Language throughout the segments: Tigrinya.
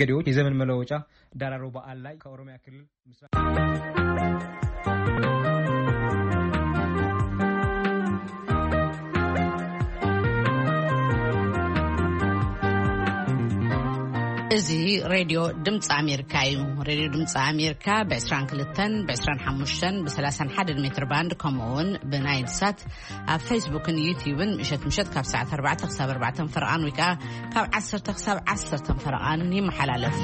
ገዲዎች የዘመን መለወጫ ዳራሮ በዓል ላይ ከኦሮሚያ ክልል ምስራቅ እዚ ሬድዮ ድምፂ ኣሜሪካ እዩ። ሬድዮ ድምፂ ኣሜሪካ ብ22፣ ብ25፣ ብ31 ሜትር ባንድ፣ ከምኡ እውን ብናይል ሳት ኣብ ፌስቡክን ዩቲዩብን ምሸት ምሸት ካብ ሰዓት ኣርባዕተ ክሳብ ኣርባዕተ ፈረቓን፣ ወይ ከዓ ካብ ዓሰርተ ክሳብ ዓሰርተ ፈረቓን ይመሓላለፍ።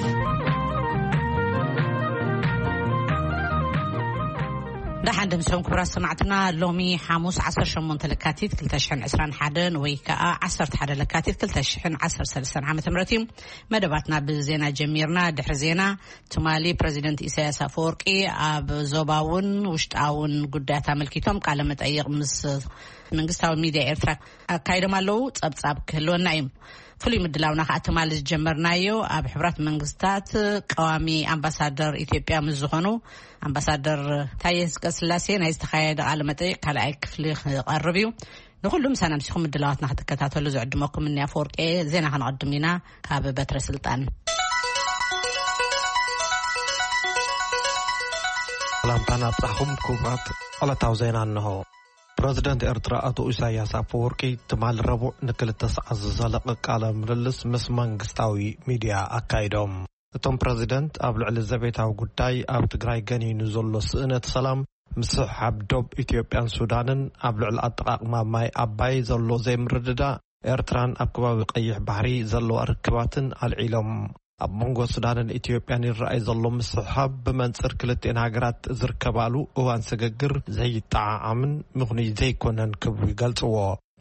ደሓን ደምስኹም ክቡራት ሰማዕትና። ሎሚ ሓሙስ ዓሰርተ ሸሞንተ ለካቲት ክልተ ሽሕን ዕስራን ሓደን ወይ ከዓ ዓሰርተ ሓደ ለካቲት ክልተ ሽሕን ዓሰርተ ሰለስተን ዓመተ ምህረት እዩ። መደባትና ብዜና ጀሚርና። ድሕሪ ዜና፣ ትማሊ ፕረዚደንት ኢሳያስ ኣፈወርቂ ኣብ ዞባውን ውሽጣውን ጉዳያት ኣመልኪቶም ቃለ መጠይቕ ምስ መንግስታዊ ሚድያ ኤርትራ ኣካይዶም ኣለዉ። ጸብጻብ ክህልወና እዩ። ፍሉይ ምድላውና ከዓ ትማሊ ዝጀመርናዮ ኣብ ሕቡራት መንግስታት ቀዋሚ ኣምባሳደር ኢትዮጵያ ምስ ዝኾኑ ኣምባሳደር ታየ ህዝቀ ስላሴ ናይ ዝተኻየደ ቃለ መጠይቕ ካልኣይ ክፍሊ ክቐርብ እዩ። ንኹሉ ምሳና ምሲኹም ምድላዋትና ክትከታተሉ ዝዕድመኩም እኒ ኣፈወርቂ። ዜና ከነቐድም ኢና። ካብ በትረ ስልጣን ሰላምታና ኣብጻሕኹም ክቡራት። ዕለታዊ ዜና እንሆ። ፕረዚደንት ኤርትራ ኣቶ ኢሳያስ ኣፈወርቂ ትማሊ ረቡዕ ንክልተ ሰዓት ዝዘለቐ ቃለ ምልልስ ምስ መንግስታዊ ሚድያ ኣካይዶም። እቶም ፕረዚደንት ኣብ ልዕሊ ዘቤታዊ ጉዳይ፣ ኣብ ትግራይ ገኒኑ ዘሎ ስእነት ሰላም፣ ምስሕሓብ ዶብ ኢትዮጵያን ሱዳንን፣ ኣብ ልዕሊ ኣጠቓቕማ ማይ ኣባይ ዘሎ ዘይምርድዳእ፣ ኤርትራን ኣብ ከባቢ ቀይሕ ባሕሪ ዘለዋ ርክባትን ኣልዒሎም። ኣብ መንጎ ሱዳንን ኢትዮጵያን ይረኣይ ዘሎ ምስሕሓብ ብመንጽር ክልቲኤን ሃገራት ዝርከባሉ እዋን ስግግር ዘይጠዓዓምን ምኽኑይ ዘይኮነን ክብሉ ይገልጽዎ።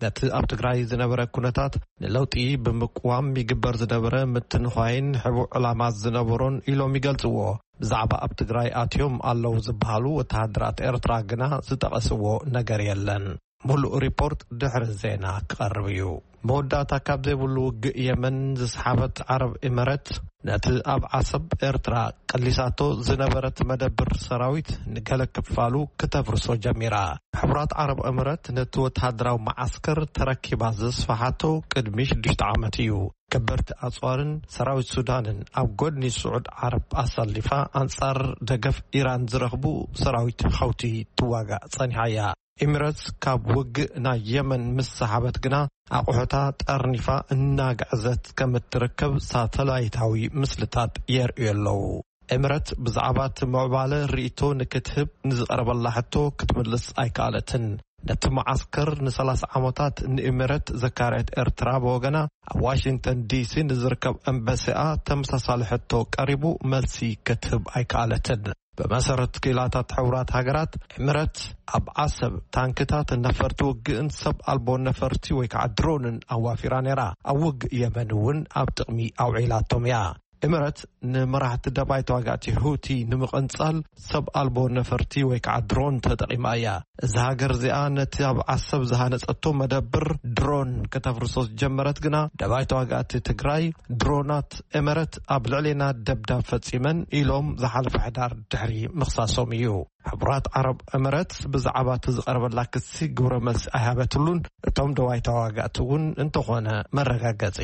ነቲ ኣብ ትግራይ ዝነበረ ኩነታት ንለውጢ ብምቅዋም ይግበር ዝነበረ ምትንዃይን ሕቡእ ዕላማት ዝነበሮን ኢሎም ይገልጽዎ። ብዛዕባ ኣብ ትግራይ ኣትዮም ኣለዉ ዝበሃሉ ወተሃደራት ኤርትራ ግና ዝጠቐስዎ ነገር የለን። ሙሉእ ሪፖርት ድሕሪ ዜና ክቐርብ እዩ። መወዳእታ ካብ ዘይብሉ ውግእ የመን ዝሰሓበት ዓረብ ኤመረት፣ ነቲ ኣብ ዓሰብ ኤርትራ ቀሊሳቶ ዝነበረት መደብር ሰራዊት ንገለ ክፋሉ ክተፍርሶ ጀሚራ። ሕቡራት ዓረብ ኤመረት ነቲ ወተሃደራዊ መዓስከር ተረኪባ ዘስፋሓቶ ቅድሚ ሽዱሽተ ዓመት እዩ። ከበድቲ ኣጽዋርን ሰራዊት ሱዳንን ኣብ ጎድኒ ስዑድ ዓረብ ኣሳሊፋ፣ ኣንጻር ደገፍ ኢራን ዝረኽቡ ሰራዊት ሐውቲ ትዋጋእ ጸኒሓ እያ። ኤሚረትስ ካብ ውግእ ናይ የመን ምስ ሰሓበት ግና፣ ኣቑሑታ ጠርኒፋ እናገዕዘት ከም እትርከብ ሳተላይታዊ ምስልታት የርእዩ ኣለዉ። ኤሚረት ብዛዕባ እቲ ምዕባለ ርእይቶ ንክትህብ ንዝቐረበላ ሕቶ ክትምልስ ኣይከኣለትን። ነቲ መዓስከር ንሰላሳ ዓመታት ንኤሚረት ዘካረየት ኤርትራ ብወገና፣ ኣብ ዋሽንግተን ዲሲ ንዝርከብ ኤምባሲኣ ተመሳሳሊ ሕቶ ቀሪቡ፣ መልሲ ክትህብ ኣይከኣለትን። ብመሰረት ክኢላታት ሕቡራት ሃገራት፣ ኤምረት ኣብ ዓሰብ ታንክታት፣ ነፈርቲ ውግእን ሰብ ኣልቦ ነፈርቲ ወይ ከዓ ድሮንን ኣዋፊራ ነይራ። ኣብ ውግእ የመን እውን ኣብ ጥቕሚ ኣውዒላቶም እያ። ኤምረት ንመራሕቲ ደባይ ተዋጋእቲ ሁቲ ንምቕንጻል ሰብ ኣልቦ ነፈርቲ ወይ ከዓ ድሮን ተጠቒማ እያ። እዛ ሃገር እዚኣ ነቲ ኣብ ዓሰብ ዝሃነጸቶ መደብር ድሮን ከተፍርሶ ዝጀመረት ግና፣ ደባይ ተዋጋእቲ ትግራይ ድሮናት ኤመረት ኣብ ልዕሌና ደብዳብ ፈጺመን ኢሎም ዝሓለፈ ሕዳር ድሕሪ ምኽሳሶም እዩ። ሕቡራት ዓረብ ኤመረት ብዛዕባ እቲ ዝቐረበላ ክሲ ግብረ መልሲ ኣይሃበትሉን። እቶም ደባይ ተዋጋእቲ እውን እንተኾነ መረጋገጺ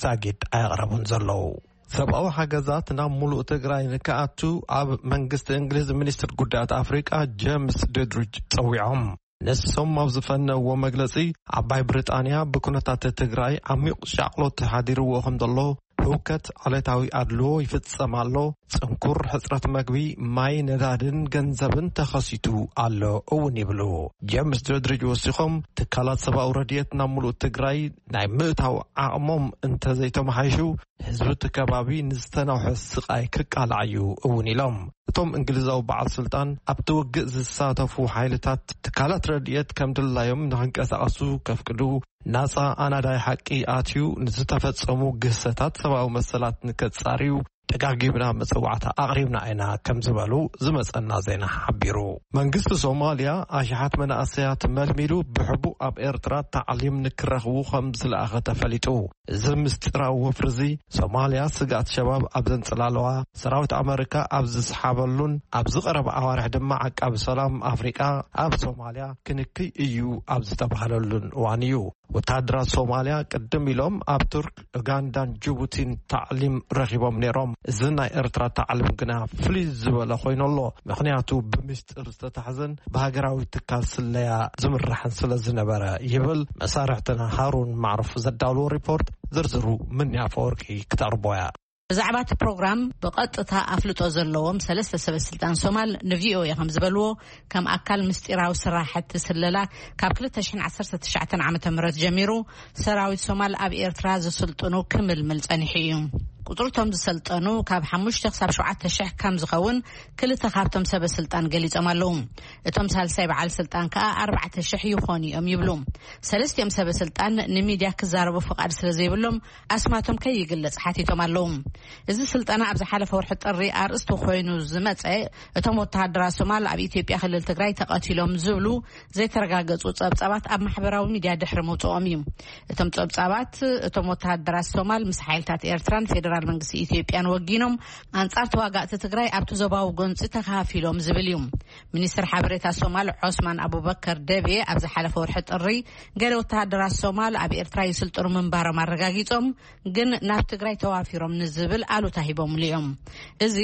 ዛጊድ ኣየቕረቡን ዘለዉ። ሰብኣዊ ሓገዛት ናብ ሙሉእ ትግራይ ንክኣቱ ኣብ መንግስቲ እንግሊዝ ሚኒስትር ጉዳያት ኣፍሪቃ ጀምስ ዶድሪጅ ጸዊዖም። ንሶም ኣብ ዝፈነዎ መግለጺ፣ ዓባይ ብሪጣንያ ብኩነታት ትግራይ ዓሚቕ ሻቕሎት ሓዲርዎ ከም ዘሎ፣ ህውከት፣ ዓሌታዊ ኣድልዎ ይፍጸም ኣሎ፣ ጽንኩር ሕጽረት መግቢ፣ ማይ፣ ነዳድን ገንዘብን ተኸሲቱ ኣሎ እውን ይብሉ። ጀምስ ዶድሪጅ ወሲኾም፣ ትካላት ሰብኣዊ ረድኤት ናብ ሙሉእ ትግራይ ናይ ምእታው ዓቕሞም እንተዘይተመሓይሹ፣ ህዝቢ እቲ ከባቢ ንዝተናውሐ ስቓይ ክቃላዕ እዩ እውን ኢሎም። እቶም እንግሊዛዊ በዓል ስልጣን፣ ኣብቲ ውግእ ዝሳተፉ ሓይልታት ትካላት ረድኤት ከም ድላዮም ንኽንቀሳቐሱ ከፍቅዱ፣ ናጻ ኣናዳይ ሓቂ ኣትዩ ንዝተፈጸሙ ግህሰታት ሰብኣዊ መሰላት ንከጻርዩ ደጋጊምና መጸዋዕታ ኣቕሪብና ኢና ከም ዝበሉ ዝመጸና ዜና ሓቢሩ። መንግስቲ ሶማልያ ኣሽሓት መናእሰያት መልሚሉ ብሕቡእ ኣብ ኤርትራ ታዕሊም ንክረኽቡ ከም ዝለኣኸ ተፈሊጡ። እዚ ምስጢራዊ ወፍሪ እዚ፣ ሶማልያ ስግኣት ሸባብ ኣብ ዘንጸላለዋ፣ ሰራዊት ኣመሪካ ኣብ ዝሰሓበሉን ኣብዚ ቀረባ ኣዋርሕ ድማ ዓቃቢ ሰላም ኣፍሪቃ ኣብ ሶማልያ ክንክይ እዩ ኣብ ዝተባህለሉን እዋን እዩ። ወተሃደራት ሶማልያ ቅድም ኢሎም ኣብ ቱርክ፣ ኡጋንዳን ጅቡቲን ታዕሊም ረኺቦም ነይሮም። እዚ ናይ ኤርትራ ታዕሊም ግና ፍልይ ዝበለ ኮይኑ ኣሎ። ምኽንያቱ ብምስጢር ዝተታሕዘን ብሃገራዊ ትካል ስለያ ዝምራሕን ስለ ዝነበረ ይብል መሳርሕትና ሃሩን ማዕሩፍ ዘዳለዎ ሪፖርት። ዝርዝሩ ምንያ ፈወርቂ ክተቕርቦ እያ። ብዛዕባ እቲ ፕሮግራም ብቐጥታ ኣፍልጦ ዘለዎም ሰለስተ ሰበ ስልጣን ሶማል ንቪኦኤ ከም ዝበልዎ፣ ከም ኣካል ምስጢራዊ ስራሕቲ ስለላ ካብ ክልተ ሽሕን ዓሰርተ ትሽዓተን ዓመተ ምህረት ጀሚሩ ሰራዊት ሶማል ኣብ ኤርትራ ዝስልጥኑ ክምልምል ጸኒሑ እዩ። ቁጽሪ እቶም ዝሰልጠኑ ካብ ሓሙሽተ ክሳብ ሸውዓተ ሽሕ ከም ዝኸውን ክልተ ካብቶም ሰበ ስልጣን ገሊጾም ኣለዉ። እቶም ሳልሳይ በዓል ስልጣን ከኣ ኣርባዕተ ሽሕ ይኾኑ እዮም ይብሉ። ሰለስቲኦም ሰበ ስልጣን ንሚድያ ክዛረቡ ፍቓድ ስለ ዘይብሎም ኣስማቶም ከይግለጽ ሓቲቶም ኣለዉ። እዚ ስልጠና ኣብ ዝሓለፈ ወርሒ ጥሪ ኣርእስቲ ኮይኑ ዝመጸ፣ እቶም ወተሃደራት ሶማል ኣብ ኢትዮጵያ ክልል ትግራይ ተቐቲሎም ዝብሉ ዘይተረጋገጹ ጸብጻባት ኣብ ማሕበራዊ ሚድያ ድሕሪ ምውጽኦም እዩ። እቶም ጸብጻባት፣ እቶም ወተሃደራት ሶማል ምስ ሓይልታት ኤርትራን ፌደራል መንግስቲ ኢትዮጵያን ወጊኖም ኣንጻር ተዋጋእቲ ትግራይ ኣብቲ ዞባዊ ጎንጺ ተኻፊሎም ዝብል እዩ። ሚኒስትር ሓበሬታ ሶማል ዖስማን ኣቡበከር ደቤ ኣብ ዝሓለፈ ወርሒ ጥሪ፣ ገለ ወተሃደራት ሶማል ኣብ ኤርትራ ይስልጥኑ ምንባሮም ኣረጋጊጾም፣ ግን ናብ ትግራይ ተዋፊሮም ንዝብል ኣሉታ ሂቦምሉ እዮም። እዚ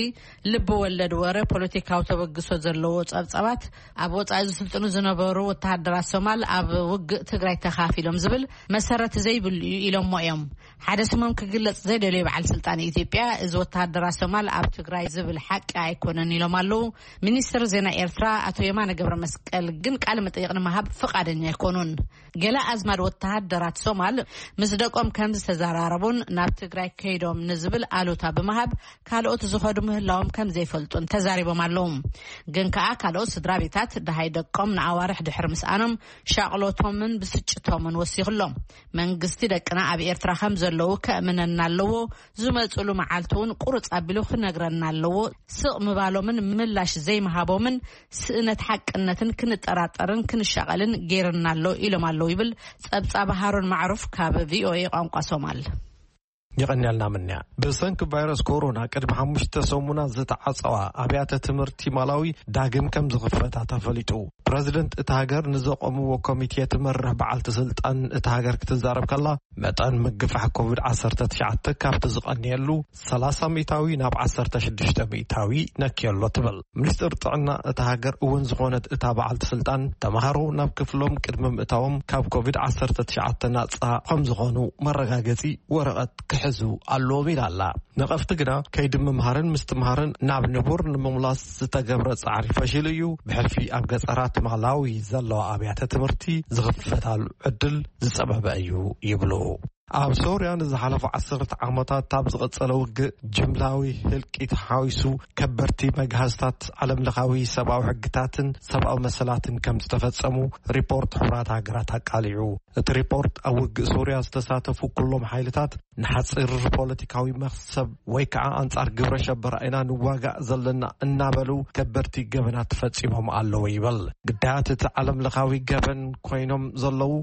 ልቢ ወለድ ወረ፣ ፖለቲካዊ ተበግሶ ዘለዎ ጸብጻባት፣ ኣብ ወጻኢ ዝስልጥኑ ዝነበሩ ወተሃደራት ሶማል ኣብ ውግእ ትግራይ ተኻፊሎም ዝብል መሰረት ዘይብሉ እዩ ኢሎሞ እዮም። ሓደ ስሞም ክግለጽ ዘይደለዩ በዓል ስልጣን ኢትዮጵያ፣ እዚ ወተሃደራት ሶማል ኣብ ትግራይ ዝብል ሓቂ ኣይኮነን ኢሎም ኣለዉ። ሚኒስትር ዜና ኤርትራ ኣቶ የማነ ገብረ መስቀል ግን ቃለ መጠይቕ ንምሃብ ፍቓደኛ ኣይኮኑን። ገለ ኣዝማድ ወተሃደራት ሶማል ምስ ደቆም ከም ዝተዘራረቡን ናብ ትግራይ ከይዶም ንዝብል ኣሉታ ብምሃብ ካልኦት ዝኸዱ ምህላዎም ከም ዘይፈልጡን ተዛሪቦም ኣለዉ። ግን ከኣ ካልኦት ስድራ ቤታት ደሃይ ደቆም ንኣዋርሕ ድሕሪ ምስኣኖም ሻቕሎቶምን ብስጭቶምን ወሲኹሎም። መንግስቲ ደቅና ኣብ ኤርትራ ከም ዘለዉ ከእምነና ኣለዎ። ዝመጽሉ መዓልቲ እውን ቁርጽ ኣቢሉ ክነግረና ኣለዎ። ስቕ ምባሎምን ምላሽ ዘይምሃቦምን ስእነት ሓቅነትን ክንጠራጠርን ክንሻቐልን ገይርና ኣሎ ኢሎም ኣለዉ ይብል ጸብጻብ ሃሩን ማዕሩፍ ካብ ቪኦኤ ቋንቋ ሶማል። የቐንያልና ምንያ። ብሰንኪ ቫይረስ ኮሮና ቅድሚ ሓሙሽተ ሰሙናት ዝተዓጸዋ ኣብያተ ትምህርቲ ማላዊ ዳግም ከም ዝኽፈታ ተፈሊጡ። ፕረዚደንት እታ ሃገር ንዘቆምዎ ኮሚቴ ትመርሕ በዓልቲ ስልጣን እታ ሃገር ክትዛረብ ከላ፣ መጠን ምግፋሕ ኮቪድ ዓሰርተ ትሽዓተ ካብቲ ዝቐንየሉ ሰላሳ ሚእታዊ ናብ ዓሰርተ ሽዱሽተ ሚእታዊ ነክዮ ኣሎ ትብል። ሚኒስትር ጥዕና እታ ሃገር እውን ዝኾነት እታ በዓልቲ ስልጣን፣ ተምሃሮ ናብ ክፍሎም ቅድሚ ምእታዎም ካብ ኮቪድ ዓሰርተ ትሽዓተ ናጻ ከም ዝኾኑ መረጋገጺ ወረቐት ክሕዙ ኣለዎም ኢላ ኣላ። ነቐፍቲ ግና ከይዲ ምምሃርን ምስትምሃርን ናብ ንቡር ንምምላስ ዝተገብረ ጻዕሪ ፈሺሉ እዩ። ብሕልፊ ኣብ ገጠራት ማላዊ ዘለዋ ኣብያተ ትምህርቲ ዝኽፈታሉ ዕድል ዝጸበበ እዩ ይብሉ። ኣብ ሶርያ ንዝሓለፉ ዓሰርተ ዓመታት ኣብ ዝቐጸለ ውግእ ጅምላዊ ህልቂት ሓዊሱ ከበድቲ መግሃስታት ዓለምለኻዊ ሰብኣዊ ሕግታትን ሰብኣዊ መሰላትን ከም ዝተፈጸሙ ሪፖርት ሕቡራት ሃገራት ኣቃሊዑ። እቲ ሪፖርት ኣብ ውግእ ሶርያ ዝተሳተፉ ኩሎም ሓይልታት ንሓጺር ፖለቲካዊ መኽሰብ ወይ ከዓ ኣንጻር ግብረ ሸበራ ኢና ንዋጋእ ዘለና እናበሉ ከበድቲ ገበናት ፈጺሞም ኣለዉ ይብል። ግዳያት እቲ ዓለምለኻዊ ገበን ኮይኖም ዘለዉ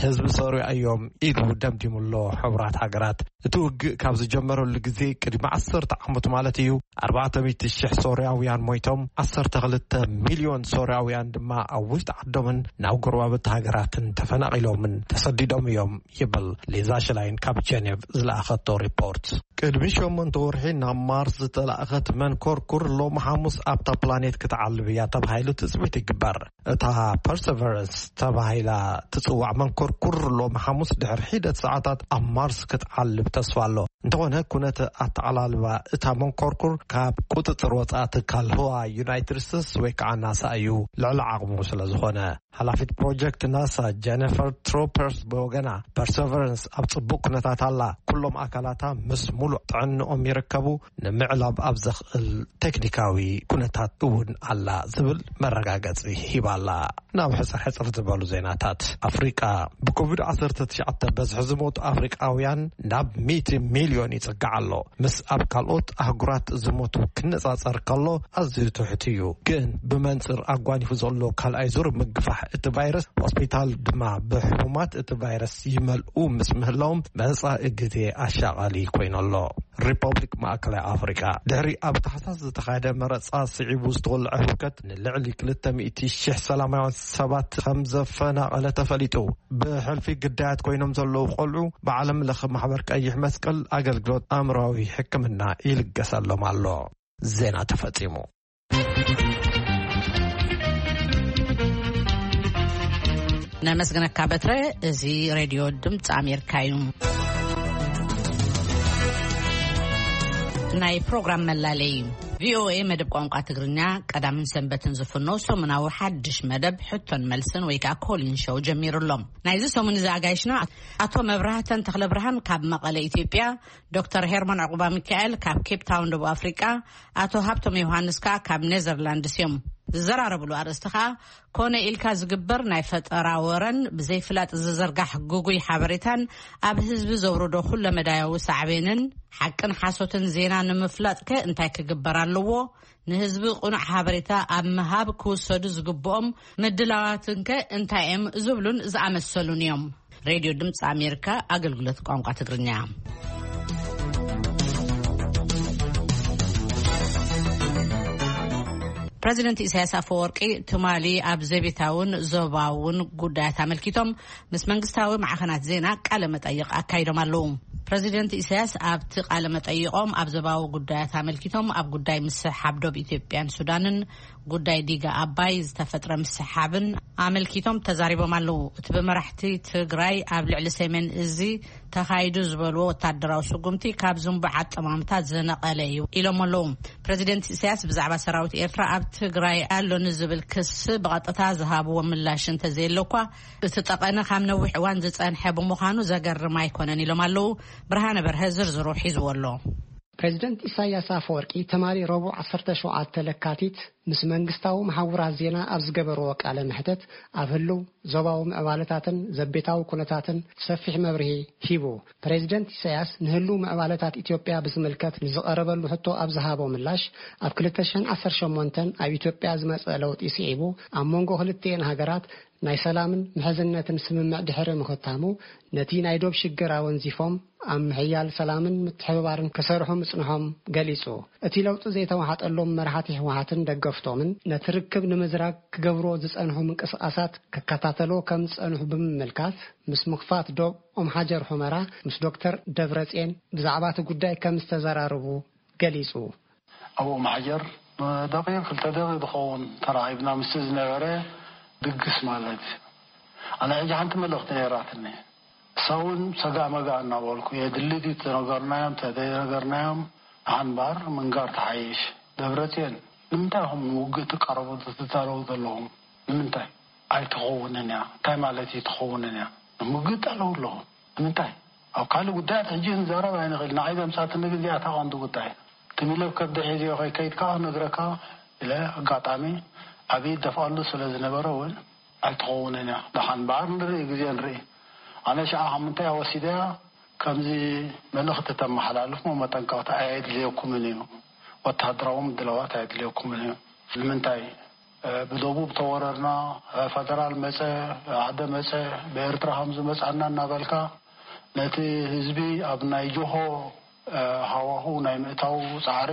ህዝቢ ሶርያ እዮም ኢሉ ደምዲሙ ኣሎ። ሕቡራት ሃገራት እቲ ውግእ ካብ ዝጀመረሉ ግዜ ቅድሚ ዓሰርተ ዓመት ማለት እዩ ኣርባዕተ ሚእቲ ሽሕ ሶርያውያን ሞይቶም፣ ዓሰርተ ክልተ ሚልዮን ሶርያውያን ድማ ኣብ ውሽጢ ዓዶምን ናብ ጎረባብቲ ሃገራትን ተፈናቒሎምን ተሰዲዶም እዮም ይብል ሊዛ ሽላይን ካብ ጀኔቭ ዝለኣኸቶ ሪፖርት። ቅድሚ ሸሞንተ ወርሒ ናብ ማርስ ዝተላእኸት መንኮርኩር ሎሚ ሓሙስ ኣብታ ፕላኔት ክትዓልብ እያ ተባሂሉ ትጽቢት ይግበር። እታ ፐርሰቨረንስ ተባሂላ ትጽዋዕ መንኮርኩር ሎሚ ሓሙስ ድሕሪ ሒደት ሰዓታት ኣብ ማርስ ክትዓልብ ተስፋ ኣሎ። እንተኾነ ኩነት ኣተዓላልባ እታ መንኮርኩር ካብ ቁጽጽር ወጻኢ ትካል ህዋ ዩናይትድ ስቴትስ ወይ ከዓ ናሳ እዩ፣ ልዕሊ ዓቕሙ ስለ ዝኾነ። ሓላፊት ፕሮጀክት ናሳ ጀኒፈር ትሮፐርስ ብወገና፣ ፐርሰቨረንስ ኣብ ጽቡቕ ኩነታት ኣላ፣ ኩሎም ኣካላታ ምስ ሙሉእ ጥዕንኦም ይርከቡ፣ ንምዕላብ ኣብ ዘኽእል ቴክኒካዊ ኩነታት እውን ኣላ ዝብል መረጋገጺ ሂባ ኣላ። ናብ ሕጽር ሕጽር ዝበሉ ዜናታት ኣፍሪቃ። ብኮቪድ ዓሰርተ ትሽዓተ በዝሒ ዝሞቱ ኣፍሪቃውያን ናብ ሚእቲ ሚልዮን ይጽጋዕ ኣሎ። ምስ ኣብ ካልኦት ኣህጉራት ዝሞቱ ክነጻጸር ከሎ ኣዝዩ ትሑት እዩ። ግን ብመንጽር ኣጓኒፉ ዘሎ ካልኣይ ዙር ምግፋሕ እቲ ቫይረስ፣ ሆስፒታል ድማ ብሕሙማት እቲ ቫይረስ ይመልኡ ምስ ምህላዎም መጻኢ ግዜ ኣሻቓሊ ኮይኑ ኣሎ። ሪፐብሊክ ማእከላይ ኣፍሪቃ። ድሕሪ ኣብ ታሕሳስ ዝተኻየደ መረጻ ስዒቡ ዝተወልዐ ህውከት ንልዕሊ ክልተ ሚእቲ ሺሕ ሰላማውያን ሰባት ከም ዘፈናቐለ ተፈሊጡ። ብሕልፊ ግዳያት ኮይኖም ዘለዉ ቆልዑ ብዓለም ለኸ ማሕበር ቀይሕ መስቀል ኣገልግሎት ኣእምሮዊ ሕክምና ይልገሰሎም ኣሎ። ዜና ተፈጺሙ። ነመስግነካ በትረ። እዚ ሬድዮ ድምፂ ኣሜሪካ እዩ። ናይ ፕሮግራም መላለይ። ቪኦኤ መደብ ቋንቋ ትግርኛ ቀዳምን ሰንበትን ዝፍኖ ሰሙናዊ ሓድሽ መደብ ሕቶን መልስን ወይ ከዓ ኮሊን ሾው ጀሚሩ ኣሎ። ናይዚ ሰሙን እዚ ኣጋይሽና ኣቶ መብራህተን ተኽለ ብርሃን ካብ መቐለ ኢትዮጵያ፣ ዶክተር ሄርሞን ዕቑባ ሚካኤል ካብ ኬፕ ታውን ደቡብ ኣፍሪቃ፣ ኣቶ ሃብቶም ዮሃንስ ከኣ ካብ ኔዘርላንድስ እዮም። ዝዘራረብሉ ኣርእስቲ ከኣ ኮነ ኢልካ ዝግበር ናይ ፈጠራ ወረን ብዘይፍላጥ ዝዝርጋሕ ግጉይ ሓበሬታን ኣብ ህዝቢ ዘውርዶ ኩለመዳያዊ ሳዕቤንን ሓቅን ሓሶትን ዜና ንምፍላጥከ እንታይ ክግበር ኣለዎ? ንህዝቢ ቅኑዕ ሓበሬታ ኣብ ምሃብ ክውሰዱ ዝግብኦም ምድላዋትንከ እንታይ እዮም? ዝብሉን ዝኣመሰሉን እዮም። ሬድዮ ድምፂ ኣሜሪካ ኣገልግሎት ቋንቋ ትግርኛ። ፕረዚደንት ኢሳያስ ኣፈወርቂ ትማሊ ኣብ ዘቤታውን ዞባውን ጉዳያት ኣመልኪቶም ምስ መንግስታዊ ማዕኸናት ዜና ቃለ መጠይቕ ኣካይዶም ኣለዉ። ፕረዚደንት ኢሳያስ ኣብቲ ቃለ መጠይቖም ኣብ ዞባዊ ጉዳያት ኣመልኪቶም ኣብ ጉዳይ ምስሕሓብ ዶብ ኢትዮጵያን ሱዳንን ጉዳይ ዲጋ ኣባይ ዝተፈጥረ ምስሕሓብን ኣመልኪቶም ተዛሪቦም ኣለዉ። እቲ ብመራሕቲ ትግራይ ኣብ ልዕሊ ሰሜን እዚ ተኻይዱ ዝበልዎ ወታደራዊ ስጉምቲ ካብ ዝንቡዕ ኣጠማምታ ዝነቐለ እዩ ኢሎም ኣለዉ። ፕረዚደንት ኢሳያስ ብዛዕባ ሰራዊት ኤርትራ ኣብ ትግራይ ኣሎ ንዝብል ክሲ ብቐጥታ ዝሃብዎ ምላሽ እንተዘየሎ እኳ እቲ ጠቐነ ካብ ነዊሕ እዋን ዝጸንሐ ብምዃኑ ዘገርም ኣይኮነን ኢሎም ኣለዉ። ብርሃነ በርሀ ዝርዝሩ ሒዝዎ ኣሎ። ፕሬዚደንት ኢሳያስ ኣፈወርቂ ትማሊ ረቡዕ ዓሰርተ ሸውዓተ ለካቲት ምስ መንግስታዊ መሓውራት ዜና ኣብ ዝገበርዎ ቃለ መሕተት ኣብ ህልው ዞባዊ ምዕባለታትን ዘቤታዊ ኩነታትን ሰፊሕ መብርሂ ሂቡ። ፕሬዚደንት ኢሳያስ ንህልው ምዕባለታት ኢትዮጵያ ብዝምልከት ንዝቐረበሉ ሕቶ ኣብ ዝሃቦ ምላሽ፣ ኣብ ክልተ ሽሕን ዓሰርተ ሸሞንተን ኣብ ኢትዮጵያ ዝመጸ ለውጢ ስዒቡ ኣብ መንጎ ክልቲኤን ሃገራት ናይ ሰላምን ምሕዝነትን ስምምዕ ድሕሪ ምኽታሙ፣ ነቲ ናይ ዶብ ሽግር ኣወንዚፎም ኣብ ምሕያል ሰላምን ምትሕብባርን ክሰርሑ ምጽንሖም ገሊጹ። እቲ ለውጢ ዘይተዋሓጠሎም መራሕቲ ህወሓትን ደገፍቶምን ነቲ ርክብ ንምዝራግ ክገብርዎ ዝጸንሑ ምንቅስቓሳት ክከታተልዎ ከም ዝጸንሑ ብምምልካት፣ ምስ ምኽፋት ዶብ ኦም ሓጀር ሑመራ ምስ ዶክተር ደብረጽዮን ብዛዕባ እቲ ጉዳይ ከም ዝተዘራረቡ ገሊጹ። ኣብኡ ማሕጀር ንደቂቕ ክልተ ደቂቕ ዝኸውን ተራኺብና ምስቲ ዝነበረ ድግስ ማለት እዩ። ኣነ ሕጂ ሓንቲ መልእኽቲ ነይራትኒ። እሳ እውን ሰጋእ መጋእ እናበልኩ የድሊ ድዩ ተነገርናዮም ተዘይነገርናዮም ንሓንባር ምንጋር ተሓይሽ። ደብረፅዮን ንምንታይ ኢኹም ንውግእ ትቃረቡ ትዳለዉ ዘለኹም? ንምንታይ? ኣይትኸውንን እያ። እንታይ ማለት እዩ ትኸውንን እያ? ንምውግእ ዳለዉ ኣለኹም። ንምንታይ? ኣብ ካልእ ጉዳያት ሕጂ ክንዛረብ ኣይንኽእል። ንዓይ ዘምጻትኒ ግን እዚኣ እታ ቀንዲ ጉዳይ። ትም ኢለ ብከብዲ ሒዘዮ ከይከይድ ከኣ ክነግረካ ኢለ ኣጋጣሚ ኣብ ኢድ ደፍኣሉ ስለ ዝነበረ እውን ኣይትኸውንን እያ። ደሓን እምበኣር ንርኢ፣ ግዜ ንርኢ። ኣነ ሽዓ ካብ ምንታይ እያ ወሲደያ ከምዚ መልእኽቲ ተመሓላልፍ እሞ መጠንቀቕታ ኣየድልየኩምን እዩ። ወተሃደራዊ ምድላዋት ኣየድልየኩምን እዩ። ንምንታይ? ብደቡብ ተወረርና፣ ፈደራል መጸ፣ ዓደ መጸ፣ ብኤርትራ ከም ዝመጻና እናበልካ ነቲ ህዝቢ ኣብ ናይ ጆሆ ሃዋህው ናይ ምእታው ጻዕሪ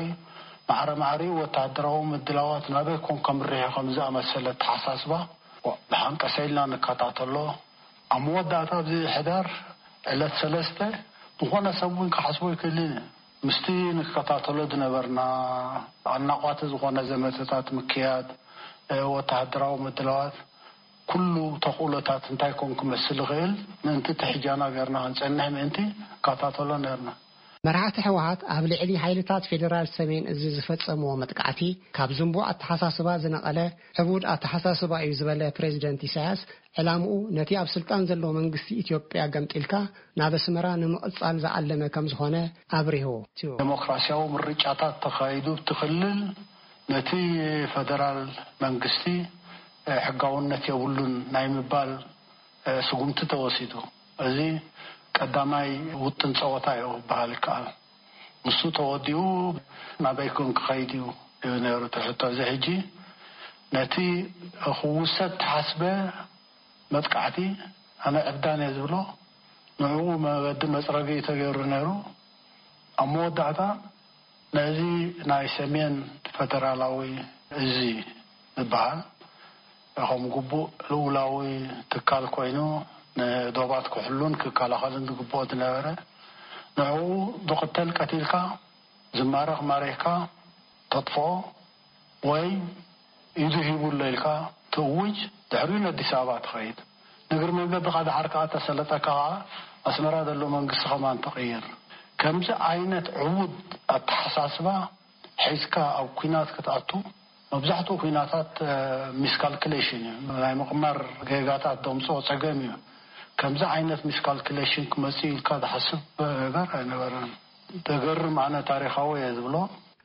ማዕረ ማዕሪኡ ወተሃደራዊ ምድላዋት ናበይ ኮን ከምርሕ ከም ዝኣመሰለ ኣተሓሳስባ ብሓንቀሰ ኢልና ንከታተሎ። ኣብ መወዳእታ ኣብዚ ሕዳር ዕለት ሰለስተ ዝኾነ ሰብ እውን ክሓስቦ ኣይክእልን እዩ። ምስቲ ንከታተሎ ዝነበርና ኣናቋቲ ዝኾነ ዘመተታት ምክያድ፣ ወተሃደራዊ ምድላዋት፣ ኩሉ ተኽእሎታት እንታይ ኮን ክመስል ይኽእል ምእንቲ እቲ ሕጃና ገርና ክንጸንሕ ምእንቲ ንከታተሎ ነርና። መራሕቲ ህወሓት ኣብ ልዕሊ ሓይልታት ፌደራል ሰሜን እዚ ዝፈጸምዎ መጥቃዕቲ ካብ ዝንቡዕ ኣተሓሳስባ ዝነቐለ ዕቡድ ኣተሓሳስባ እዩ ዝበለ ፕሬዚደንት ኢሳያስ፣ ዕላምኡ ነቲ ኣብ ስልጣን ዘሎ መንግስቲ ኢትዮጵያ ገምጢልካ ናብ ኣስመራ ንምቕጻል ዝዓለመ ከም ዝኾነ ኣብሪሁ። ዴሞክራሲያዊ ምርጫታት ተኻይዱ እቲ ክልል ነቲ ፈደራል መንግስቲ ሕጋውነት የብሉን ናይ ምባል ስጉምቲ ተወሲዱ። እዚ ቀዳማይ ውጥን ጸወታ እዩ ክበሃል ይከኣል። ንሱ ተወዲኡ ናበይ ኮን ክኸይድ እዩ እዩ ነይሩ እቲ ሕቶ። እዚ ሕጂ ነቲ ክውሰድ ተሓስበ መጥቃዕቲ ኣነ ዕብዳን እየ ዝብሎ። ንዕኡ መገዲ መጽረጊ እዩ ተገይሩ ነይሩ። ኣብ መወዳእታ ነዚ ናይ ሰሜን ፈደራላዊ እዚ ዝበሃል ከም ግቡእ ልኡላዊ ትካል ኮይኑ ንዶባት ክሕሉን ክከላኸልን ዝግብኦ ዝነበረ፣ ንዕኡ ዝቕተል ቀቲልካ፣ ዝማረኽ ማሪኽካ ተጥፍኦ ወይ ኢዱ ሂቡ ኣሎ ኢልካ ትእውጅ፣ ድሕሪኡ ንኣዲስ ኣበባ ትኸይድ። ንእግሪ መንገድኻ ድሓር ከኣ ተሰለጠካ ከኣ ኣስመራ ዘሎ መንግስቲ ከማን ትቕይር። ከምዚ ዓይነት ዕቡድ ኣተሓሳስባ ሒዝካ ኣብ ኲናት ክትኣቱ፣ መብዛሕትኡ ኲናታት ሚስካልኩሌሽን እዩ። ናይ ምቕማር ጌጋታት ደምፅኦ ፀገም እዩ። ከምዚ ዓይነት ሚስካልኩሌሽን ክመፅእ ኢልካ ዝሓስብ ነገር ኣይነበረን። ተገርም፣ ኣነ ታሪኻዊ እየ ዝብሎ።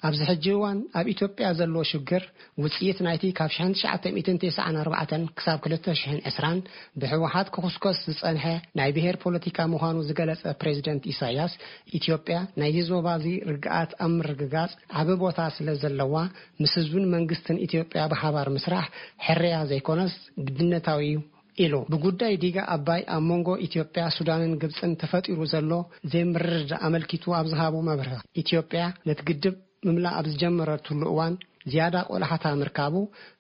ኣብዚ ሕጂ እዋን ኣብ ኢትዮጵያ ዘሎ ሽግር ውፅኢት ናይቲ ካብ ሸሕን ትሽዓተ ሚእትን ተስዓን ኣርባዕተን ክሳብ ክልተ ሽሕን ዕስራን ብህወሓት ክኹስኮስ ዝፀንሐ ናይ ብሄር ፖለቲካ ምዃኑ ዝገለጸ ፕሬዚደንት ኢሳያስ፣ ኢትዮጵያ ናይዚ ዞባ እዚ ርግኣት ኣብ ምርግጋጽ ዓቢ ቦታ ስለ ዘለዋ፣ ምስ ህዝብን መንግስትን ኢትዮጵያ ብሓባር ምስራሕ ሕርያ ዘይኮነስ ግድነታዊ እዩ ኢሉ። ብጉዳይ ዲጋ ኣባይ ኣብ መንጎ ኢትዮጵያ፣ ሱዳንን ግብጽን ተፈጢሩ ዘሎ ዘይምርድዳእ ኣመልኪቱ ኣብ ዝሃቦ መብርሂ፣ ኢትዮጵያ ነቲ ግድብ ምምላእ ኣብ ዝጀመረትሉ እዋን ዝያዳ ቆላሕታ ምርካቡ፣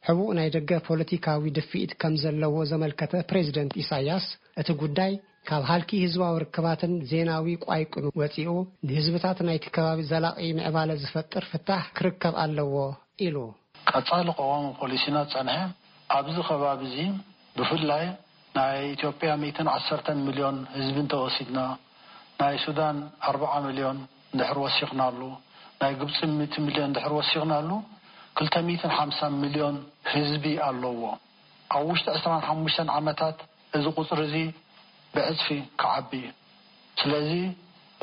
ሕቡእ ናይ ደገ ፖለቲካዊ ድፍኢት ከም ዘለዎ ዘመልከተ ፕሬዚደንት ኢሳያስ፣ እቲ ጉዳይ ካብ ሃልኪ ህዝባዊ ርክባትን ዜናዊ ቋይቁን ወጺኡ፣ ንህዝብታት ናይቲ ከባቢ ዘላቒ ምዕባለ ዝፈጥር ፍታሕ ክርከብ ኣለዎ ኢሉ። ቀጻሊ ቀዋሚ ፖሊሲና ዝጸንሐ፣ ኣብዚ ከባቢ እዚ ብፍላይ ናይ ኢትዮጵያ ሚእትን ዓሰርተን ሚልዮን ህዝቢ እንተወሲድና፣ ናይ ሱዳን ኣርብዓ ሚልዮን እንድሕር ወሲኽናሉ፣ ናይ ግብጺ ሚእቲ ሚልዮን እንድሕር ወሲኽናሉ፣ ክልተ ሚእትን ሓምሳን ሚልዮን ህዝቢ ኣለዎ። ኣብ ውሽጢ ዕስራን ሓሙሽተን ዓመታት እዚ ቁጽሪ እዚ ብዕጽፊ ክዓቢ እዩ። ስለዚ